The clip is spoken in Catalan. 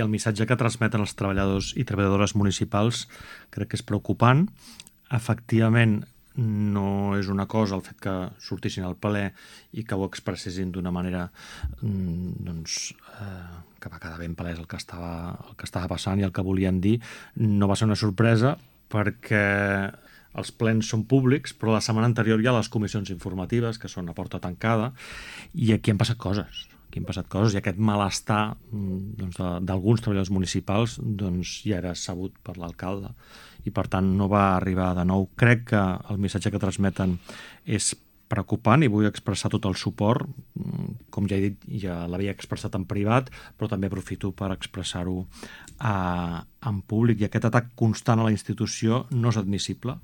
El missatge que transmeten els treballadors i treballadores municipals crec que és preocupant. Efectivament, no és una cosa el fet que sortissin al ple i que ho expressessin d'una manera que va quedar ben palès el que estava passant i el que volien dir. No va ser una sorpresa perquè els plens són públics, però la setmana anterior hi ha les comissions informatives, que són a porta tancada, i aquí han passat coses. I aquest malestar d'alguns treballadors municipals ja era sabut per l'alcalde i per tant no va arribar de nou. Crec que el missatge que transmeten és preocupant i vull expressar tot el suport. Com ja he dit, ja l'havia expressat en privat, però també aprofito per expressar-ho en públic. I aquest atac constant a la institució no és admissible.